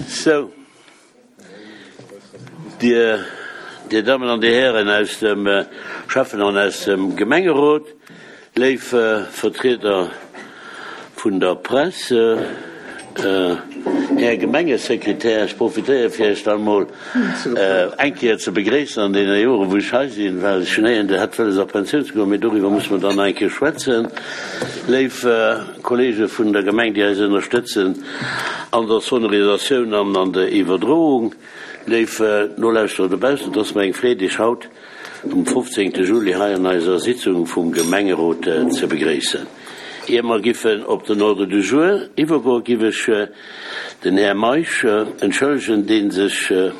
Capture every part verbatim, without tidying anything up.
Sou, Dir, Dir Dammen an Dir Hären aus dem Schäffen an aus dem Gemengerot, léif Vertrieder vun der Press, Här Gemengesekretär, ech profitéiere fir Iech dann emol eng Kéier ze begréissen an deene Joren, wou ech hei sinn, well ech hunn héieren, Dir hätt wëlles a Pensioun ze goen, mee doriwwer musse mer dann nach eng Kéier schwätzen. Léif Kollege vun der Gemeng, déi eis ënnerstëtzen an der Sonorisatioun an an der Iwwerdroung, léif Nolauschterer dobaussen, et ass mer eng Freed, Iech haut um fofzéngte Juli hei an eiser Sitzung vum Gemengerot ze begréissen. Ier mer giffen op den Ordre du jour iwwergoen, giff ech den Här Meisch entschëllegen, dee sech,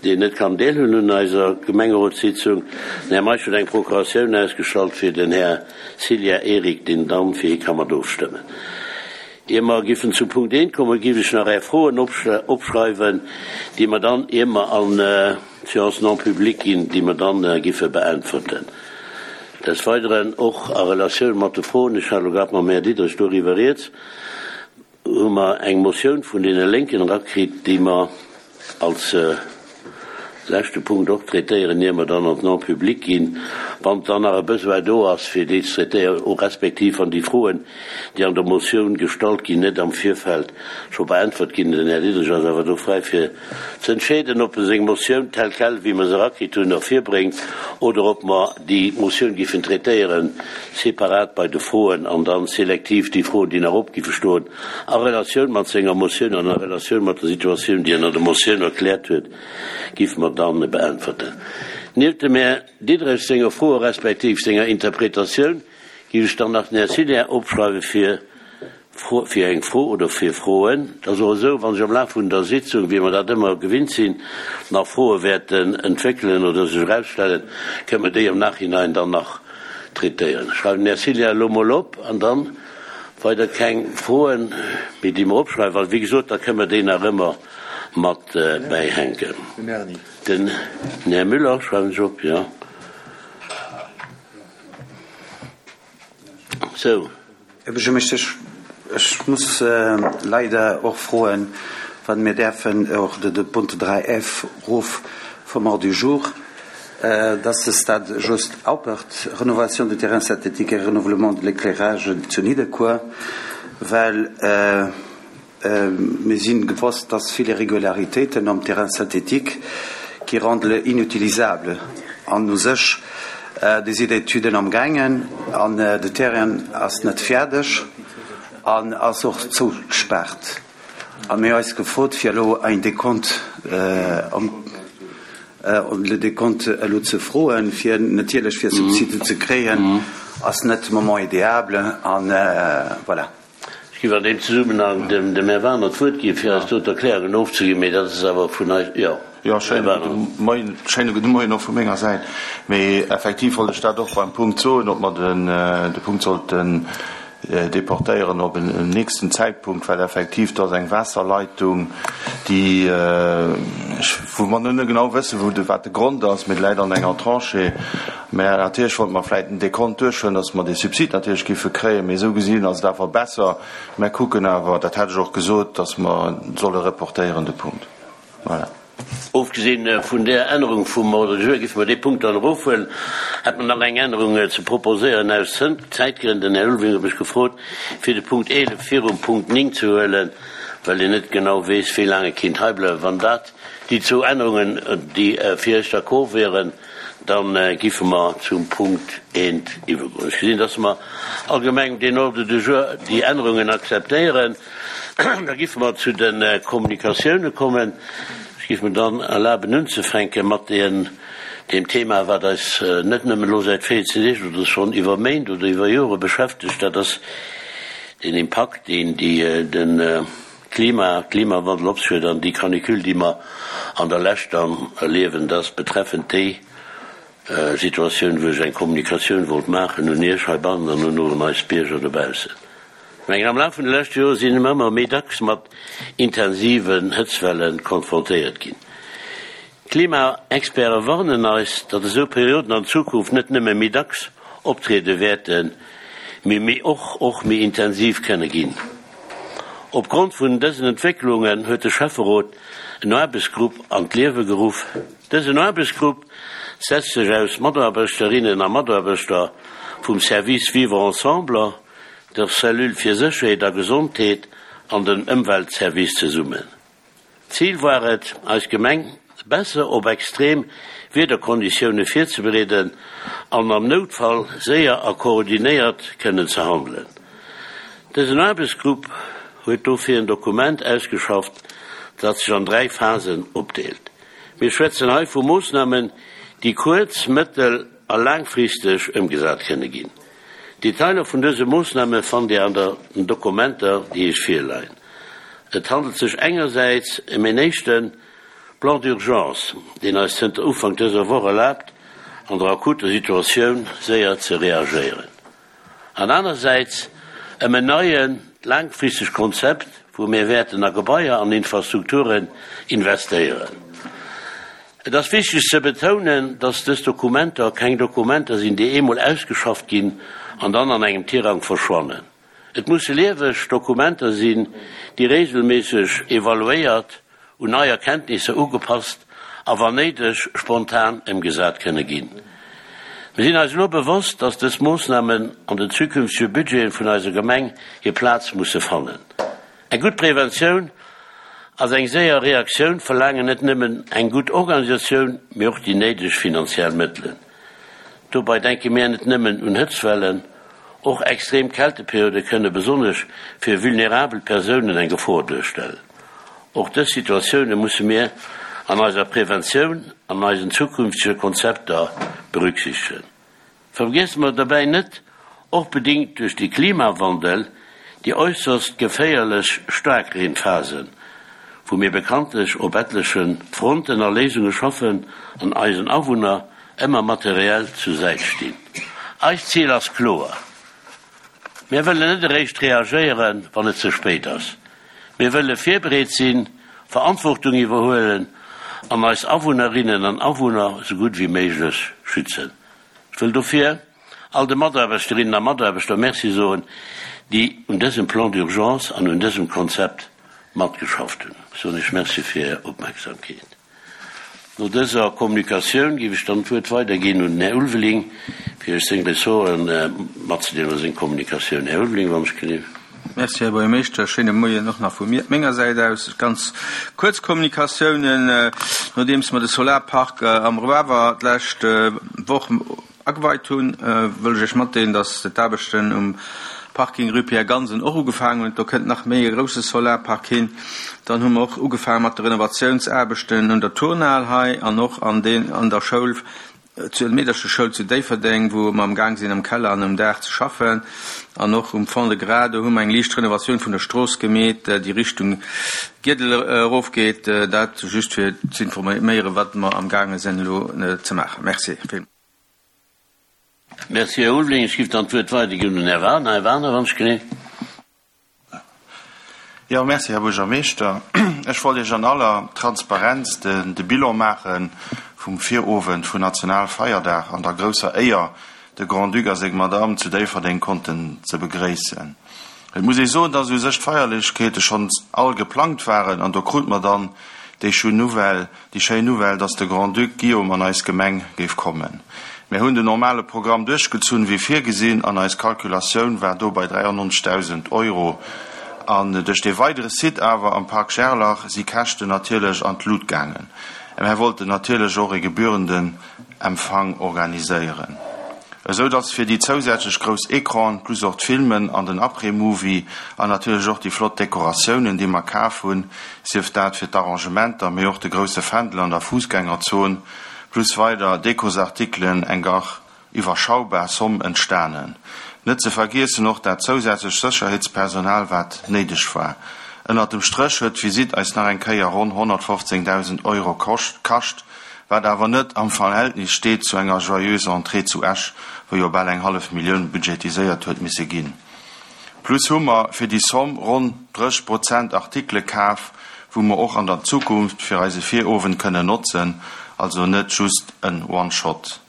deen net kann deelhuelen un eiser Gemengerotssitzung. Den Här Meisch huet eng Procuratioun ausgestallt fir den Här Cillien Eric, deen dann fir hie ka mat ofstëmmen. Ier mer giffen zum Punkt eent kommen, giff ech nach Är Froen opschreiwen, déi mer dann, ier mer an d'Séance non publique ginn, déi mer dann giffe beäntwerten. Des Weideren, och a Relatioun mat de Froen, ech hat elo grad mam Här Diderich doriwwer rieds, hu mer eng Motioun vun deene Lénken erakritt, déi mer als leschte Punkt och traitéieren, ier mer dann an d'Non-publique ginn, wann dann nach e Besoin do ass, fir déi ze traitéieren, respektiv wann déi Froen, déi an der Motioun gestallt ginn, net am Virfeld scho beäntwert ginn. Den Här Diderich ass awer do fräi fir ze entscheeden, ob e seng Motioun telle quelle, wéi mer se erakritt hunn, ervirbréngt oder ob mer déi Motioun giffen traitéieren separat bei de Froen an dann selektiv déi Froen, déi nach op giffe stoen, a Relatioun mat senger Motioun an a Relatioun mat der Situatioun, déi en an der Motioun erkläert huet, giffe mer dann beäntwerten. Nieft dem Här Diderich senger Froe respektiv senger Interpretatioun giff ech dann nach den Här Cillien opschreiwe fir fir eng Fro oder fir Froen. Et ass och esou, wa sech am Laf vun der Sitzung, wéi mer dat ëmmer gewinnt sinn, nach Froe wäerten entwéckelen oder sech erausstellen, kënnen mer déi am Nachhinein dann nach traitéieren. Ech schreiwen den Här Cillien elo mol op an dann weider keng Froen méi, déi mer opschreiwen, well wéi gesot, da kënnen mer déi nach ëmmer mat bäihänken. Den Här Müller schreiwen ech op, jo. Sou. Här Buergermeeschter, ech muss leider och froen, wann mir däerfen och de Punkt dräi F erof vum Ordre du jour, dass de Stade Jos Haupert, Rénovation du terrain synthétique et renouvellement de l'éclairage zu Nidderkuer, well mir sinn gewosst, dass vill Irregularitéiten am Terrain synthétique qui rendent le inutilisable an u sech déi sinn Etüden am gaangen an de Terrain ass net fäerdeg an ass och zougespaart a mir hu eis gefrot fir elo ein Dekont le Dekont elo ze froen fir natierlech fir Subside ze kréien ass net de Moment idéable an voilà. Ech géif an deem Zesummenhang dem Här Wagener d'Wuert ginn, fir eis do d'Erklärungen ofzeginn, mee dat ass awer vun eis, jo, Jo, Här schéine Wagener. gudde Moien, schéine gudde Moien och vu menger Säit. Mee effektiv wollt ech dat och beim Punkt soen, ob mer den, de Punkt sollten deportéieren op en nächsten Zäitpunkt, well effektiv do ass eng Waasserleitung, déi, ech, wou mer net genau wëssen, wou de, wat de Grond ass, mee déi läit an enger Tranchée. Mä natierlech wollte mer vläicht den Dekont duerchhuelen, dass mer dee Subsid natierlech géife kréien, mee esou gesinn ass et awer besser. Mer kucken awer, dat hat ech och gesot, dass mer solle reportéieren de Punkt. Voilà. Ofgesinn vun där Ännerung vum Ordre du jour géife mer dee Punkt dann erofhuelen. Hätt mer nach eng Ännerung ze proposéieren aus Zäitgrënn? Den Här Ulveling huet mech gefrot, fir de Punkt eelef virum Punkt néng ze huelen, well en net genau weess, wéi laang e kinnt heibleiwen. Wann dat déi zwou Ännerungen, déi fir Iech d'accord wieren, da giffe mer zum Punkt eent iwwergoen. Ech gesinn, dass mer allgemeng deen Ordre du jour, déi Ännerungen akzeptéieren. Da giffe mer zu de Kommunikatioune kommen. Ech giff mir dann erlaben unzefänke mat deem Thema, wat eis net nëmmen elo säit véierzehn Deeg oder schonn iwwer Méint oder iwwer Jore beschäftegt, dat ass den Impakt, deen de Klima, Klimawandel op sech huet an déi Canicule, déi mer an der Lescht dann erliewen. Dat ass betreffend déi Situatioun, wou ech eng Kommunikatioun wollt maachen un Iech heibannen an un un eis Bierger dobaussen. Ech mengen, am Laf vun de leschte Jore si mer ëmmer méi dacks mat intensiven Hëtztwelle konfrontéiert ginn. D'Klimaexperte warnen eis, datt esou Perioden an Zukunft net nëmme méi dacks optriede wäerten, mee méi och och méi intensiv kënne ginn. Opgrond vun dësen Entwécklungen huet de Schäfferot en Aarbechtsgrupp an d'Liewe geruff. Dësen Aarbechtsgrupp setzt sech aus Mataarbechterinnen a Mataarbechter vum Service Vivre ensemble, der Cellule fir Sécherheet a Gesondheet an den Ëmweltservice zesummen. Zil war et, eis Gemeng besser op extrem Wiederkonditioune virzebereeden an am Noutfall séier a koordinéiert kënnen ze handelen. Dësen Aarbechtsgrupp huet dofir en Dokument ausgeschafft, dat sech an dräi Phasen opdeelt. Mir schwätzen hei vu Moossnamen, déi kuerz-, mëttel a laangfristeg ëmgesat kënne ginn. D'Detailer vun dëse Moossname fannt Dir an den Dokumenter, déi Iech virleien. Et handelt sech engersäits ëm en éischte Plan d'urgence, deen eis zënter Ufank dëser Woch erlaabt, an der akuter Situatioun séier ze reagéieren, an anersäits ëm en neie laangfristegt Konzept, wou mir wäerten a Gebaier an Infrastrukturen investéieren. Et ass wichteg ze betounen, dass dës Dokumenter keng Dokumenter sinn, déi eemol ausgeschafft ginn an dann an engem Tirang verschwannen. Et musse lieweg Dokumenter sinn, déi reegelméisseg evaluéiert, un nei Erkenntnisser ugepasst a wann néideg spontan ëmgesat kënne ginn. Mir sinn eis elo bewosst, dass dës Moossnamen an den zukünftege Budgete vun eiser Gemeng hir Plaz musse fannen. Eng gutt Preventioun ass eng séier Reaktioun verlaangen net nëmmen eng gutt Organisatioun, mee och déi néideg finanziell Mëttelen. Dobei denke mir net nëmmen un Hëtztwellen, och extrem Kälteperiode kënne besonnesch fir vulnerabel Persounen eng Gefor duerstellen. Och dës Situatioune musse mir an eiser Preventioun an eisen zukünftege Konzepter berücksichtegen. Vergiesse mer derbäi net, och bedingt duerch de Klimawandel, déi äusserst geféierlech Staarkreenphasen, wou mir bekanntlech op etleche Fronten a Léisunge schaffen an eisen Awunner ëmmer materiell zur Säit stinn. Eist Zil ass kloer, Mir wëllen net eréischt reagéieren, wann et ze spéit ass. Mir wëlle virbereet sinn, Verantwortung iwwerhuelen an eis Awunnerinnen an Awunner esou gutt wéi méiglech schützen. Ech wëll dofir all de Mataarbechterinnen a Mataarbechter Merci soen, déi un dësem Plan d'urgence an un dësem Konzept matgeschafft hunn. Ech soen Iech Merci fir Är Opmerksamkeet. No dëser Kommunikatioun géif ech dann d'Wuert weiderginn un den Här Ulveling, fir Iech seng Ressorten matzedeelen oder seng Kommunikatioun. Här Ulveling, wann ech gelift. Merci, Här Buergermeeschter. Schéine Moien och nach vu mir, menger Säit aus. Ganz kuerz Kommunikatiounen. Nodeems mer de Solarpark am Roawer d'lescht Woch ageweit hunn, wëll ech Iech matdeelen, dass d'Aarbechten um Parking Rue Pierre Gansen och ugefaangen hunn. Do kënnt nach méi e grousse Solarpark hin. Dann hu mer och ugefaange mat de Renovatiounsaarbechten un der Turnhal hei an och an den, an der Schoul, zur Meedercheschoul zu Déifferdeng, wou mer am Gaang sinn am Keller an um Daach ze schaffen. An och um Fond-de-Gras, do hu mer eng liicht Renovatioun vun der Strooss gemeet, déi Richtung Giedel erofgeet. Dat just fir z'informéieren, wat mer am gaange sinn elo ze maachen. Merci villmools. Merci, Här Ulveling. Ech géif dann d'Wuert weiderginn un den Här Wagner. Här Wagner, wann ech gelift. Jo, merci, Här Buergermeeschter. Ech wollt Iech an aller Transparenz de Bilan maache vum Virowend vun Nationalfeierdag an der grousser Éier, de Grand-Duc a seng Madame zu Déifferdeng konnten ze begréissen. Et muss ee soen, dass u sech d'Feierlechkeete schonns all geplangt waren an do krute mer dann déi schéin Nouvelle, déi schéin Nouvelle, dass de Grand-Duc Guillaume an eis Gemeng géif kommen. Mär hunn den normale Programm duerchgezunn wéi virgesinn an eis Kalkulatioun war do bei dräiannonzegdausend Euro. An duerch dee weidere Site awer am Parc Gerlach si Käschten natierlech an d'Lut gaangen. Mär wollten natierlech och e gebührenden Empfang organiséieren, esou dass fir déi zousätzlech grouss Ecranen, plus och d'Filmen an den Après-Movie an natierlech och déi flott Dekoratiounen, déi mer kaf hunn, sief dat fir d'Arrangementer, mee och de grousse Fändel an der Fussgängerzon, plus weider Dekosartikelen, eng gach iwwerschaubar Somm entstanen. Net ze vergiessen och dat zousätzlech Sécherheetspersonal, wat néideg war. Ënnert dem Stréch huet d'Visitt eis nach eng Kéier ronn honnertfofzéngdausend Euro kascht, wat awer net am Verhältnis steet zu enger Joyeuse Entrée zu Esch, wou jo bal eng hallef Millioun budgetiséiert huet misse ginn. Plus hu mer fir déi Somm ronn drësseg Prozent Artikele kaf, wou mer och an der Zukunft fir eise Virowend kënnen notzen, also net just en One-Shot.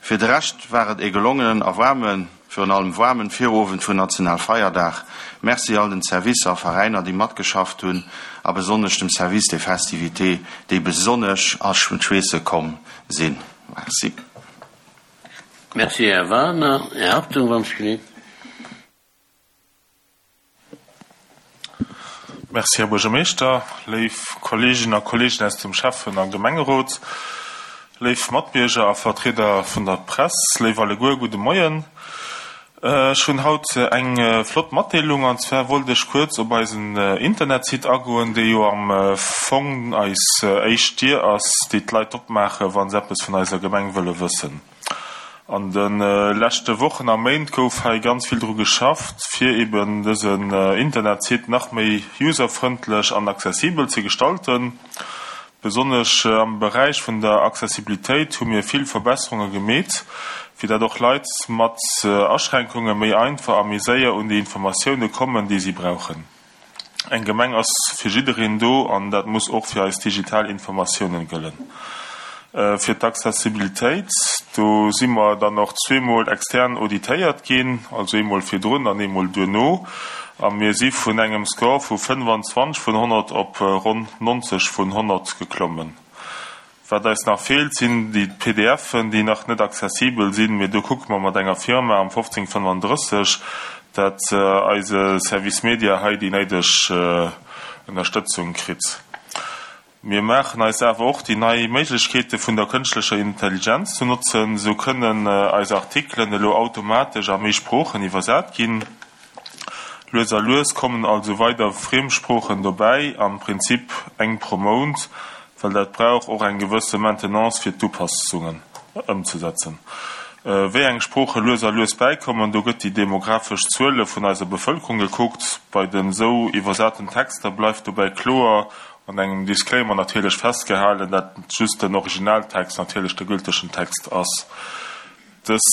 Fir de Rescht war et ee gelongenen a waarme virun allem waarmen Virowend vun Nationalfeierdag. Merci all den Servicer a Veräiner, déi matgeschafft hunn, a besonnesch dem Service des Festivités, déi besonnesch a d'Schweesse komm sinn. Merci. Merci, Här Wagener. Här Hartung, wann ech gelift. Merci, Här Buergermeeschter, léif Kolleeginnen a Kolleegen aus dem Schäffen a Gemengerot, léif Matbierger a Vertrieder vun der Press, léif alleguer, gudde Moien. Ech hunn haut eng flott Matdeelung, an zwar wollt ech kuerz op eisen Internetsite agoen, dee jo am Fong eis éischt Dier ass, déi d'Leit opmaachen, wa se eppes vun eiser Gemeng wëlle wëssen. An de leschte Wochen a Méint gouf hei ganz vill dru geschafft, fir eben dësen Internetsite nach méi userfrëndlech an accessibel ze gestalten. Besonnesch am Beräich vun der Accessibilitéit hu mir vill Verbesserunge gemeet, fir dat och Leit mat Aschränkunge méi einfach a méi séier un déi Informatioune kommen, déi si brauchen. Eng Gemeng ass fir jiddereen do an dat muss och fir eis digital Informatiounen gëllen. Fir d'Accessibilitéit, do si mer dann och zweemol extern auditéiert ginn, also eemol virdrun an eemol duerno, a mir si vun engem Score vu fënnefanzwanzeg vun honnert op ronn nonzeg vun honnert geklommen. Wat eis nach feelt, sinn déi P D F'en, déi nach net accessibel sinn, mee do kucke mer mat enger Firma am fofzéng fënnefandrësseg, dat eise Service Media hei déi néideg Ënnerstëtzung kritt. Mir maachen eis awer och déi nei Méiglechkeete vun der kënschtlecher Intelligenz ze notzen. Sou kënnen eis Artikelen elo automatesch a méi Sproochen iwwersat ginn. Lues a lues kommen also weider Friemsproochen dobäi, am Prinzip eng pro Mount, well dat brauch och eng gewësse Maintenance fir d'Upassungen ëmzesetzen. Wéi eng Sprooche lues a lues bäikommen, do gëtt déi demografesch Zuele vun eiser Bevëlkerung gekuckt. Bei den esou iwwersaten Texter bleift dobäi kloer an engem Disclaimer natierlech festgehalen, dat just den Originaltext natierlech de gültegen Text ass. Dës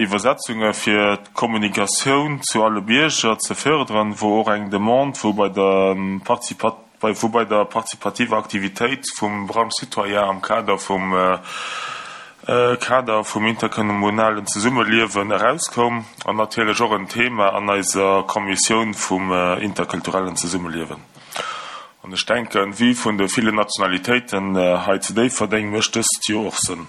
Iwwersetzunge fir d'Kommunikatioun zu alle Bierger ze fërderen, wor och eng Demande wou bei der wou bei der partizipativer Aktivitéit vum Brunch Citoyen am Kader vum Kader vum interkommunalen Zesummeliewen erauskoum an natierlech och en Thema an eiser Kommissioun vum interkulturellen Zesummeliewen. An ech denken, vue vun de villen Nationalitéiten hei zu Déifferdeng mécht dëst jo och Sënn.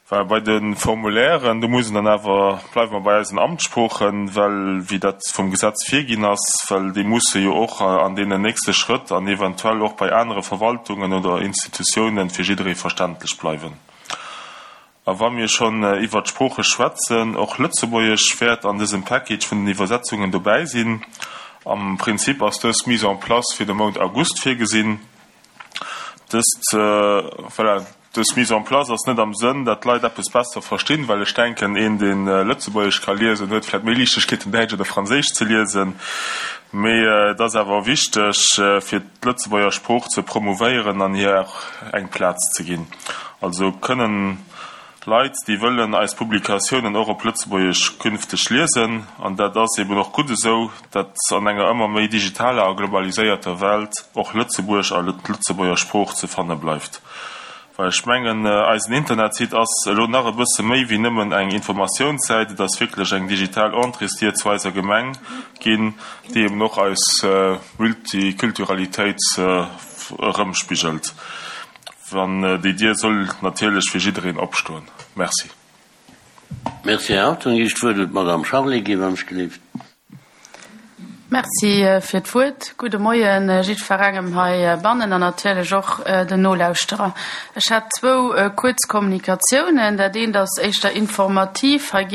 Well bei de Formulairen, do muss een dann awer, bleiwe mer bei eisen Amtssproochen, well wéi dat vum Gesetz virginn ass, well déi musse jo och an deenen nächste Schrëtt an eventuell och bei anere Verwaltungen oder Institutiounen fir jidderee verständlech bleiwen. A wa mir schonn iwwert d'Sprooche schwätzen, och Lëtzebuergesch wäert an dësem Package vun den Iwwersetzungen dobäi sinn. Am Prinzip ass dës Mise en place fir de Mount August virgesinn. Dëst, voilà, dës Mise en place ass net am Sënn, dat d'Leit eppes besser verstinn, well ech denken, een, deen Lëtzebuergesch ka liesen, huet vläicht méi Liichtegkeeten, Däitsch oder Franséisch ze liesen. Mee et ass awer wichteg, fir d'Lëtzebuerger Sprooch ze promouvéieren an hir och eng Plaz ze ginn. Also kënnen Leit, déi wëllen, eis Publikatiounen och op Lëtzebuergesch künfteg liesen. An dat ass eben och gutt esou, dat an enger ëmmer méi digitaler a globaliséierter Welt och Lëtzebuerg a d'Lëtzebuerger Sprooch ze fanne bleift. Well ech mengen, eisen Internetsite ass elo nach e bësse méi wéi nëmmen eng Informatiounssäit, et ass wierklech eng digital Entréesdier zu eiser Gemeng ginn, déi eben och eis Multikulturalitéit erëmspigelt. An déi Dier soll natierlech fir jiddereen opstoen. Merci. Merci, Här Hartung. Iech d'Wuert un d'Madame Charlé ginn, wann ech gelift. Merci fir d'Wuert. Gudde Moien jiddwerengem hei bannen an natierlech och den Nolauschterer. Ech hätt zwou kuerz Kommunikatiounen. Dat eent ass éischter informativ. Hei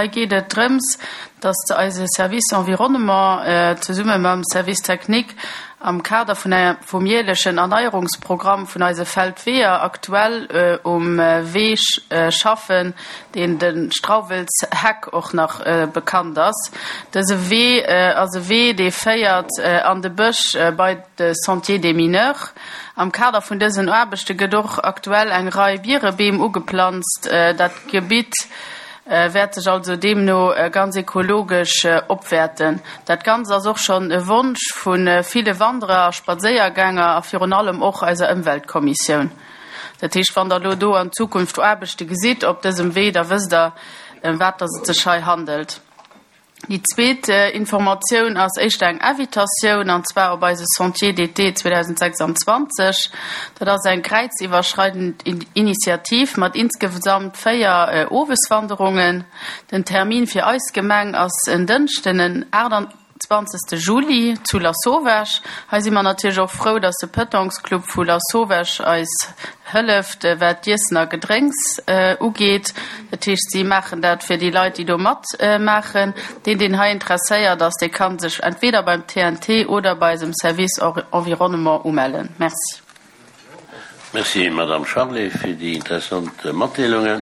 geet et drëms, dass eise Service Environnement zesumme mam Service Technique am Kader vun vum jäerlechen Erneierungsprogramm vun eise Feldweeër aktuell um Wee schaffen, deen de Strauwelsheck och nach bekannt ass. Dëse Wee ass e Wee, dee féiert an de Bësch bei de Sentier des Mineurs. Am Kader vun dësen Aarbechte gëtt och aktuell eng Rei Bierebeem ugeplanzt. Dat Gebitt wäert sech also deemno ganz ekologesch opwäerten. Dat Ganzt ass och schonn e Wonsch vu ville Wanderer a Spadséiergänger a virun allem och eiser Ëmweltkommissioun. Dat heescht, wann Der elo do an Zukunft Aarbechte gesitt op dësem Wee, da wësst Der, ëm wat dass et sech hei handelt. Déi zweet Informatioun ass éischter eng Invitatioun, an zwar op eise Sentier d'été zweedausendsechsanzwanzeg. Dat ass eng kräiziwwerschreidend Initiativ mat insgesamt véier Oweswanderungen. Den Termin fir eis Gemeng ass en Dënschden, den aachtanzwanzegste Juli zu Lasauvage. Hei si mer natierlech och frou, dass de Petanquesclub vu Lasauvage eis hëlleft, wat d'Iessen a Gedrénks ugeet. Dat heescht, si maachen dat fir déi Leit, déi do matmaachen. Deen, deen hei interesséiert ass, dee ka sech entweder beim T N T oder bei eisem Service Environnement umellen. Merci. Merci, Madame Charlé, fir déi interessant Matdeelungen.